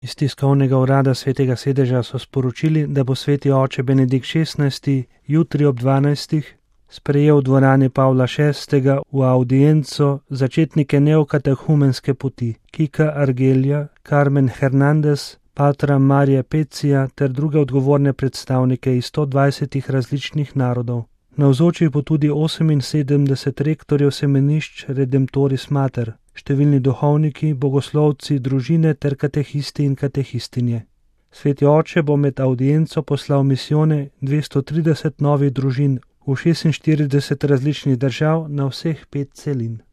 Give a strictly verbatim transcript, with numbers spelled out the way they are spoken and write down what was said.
Iz tiskovnega urada Svetega sedeža so sporočili, da bo sveti oče Benedikt šestnajsti jutri ob dvanajstih sprejel v dvorani Pavla šestega v avdienco začetnike neokatehumenske poti Kika Argelja, Carmen Hernandez, patra Marija Pecija ter druge odgovorne predstavnike iz sto dvajsetih različnih narodov. Navzočih bo tudi oseminsedemdeset rektorjev semenišč Redemptoris Mater, številni duhovniki, bogoslovci, družine ter katehisti in katehistinje. Sveti oče bo med avdienco poslal misijone dvesto trideset novih družin v šestinštirideset različnih držav na vseh pet celin.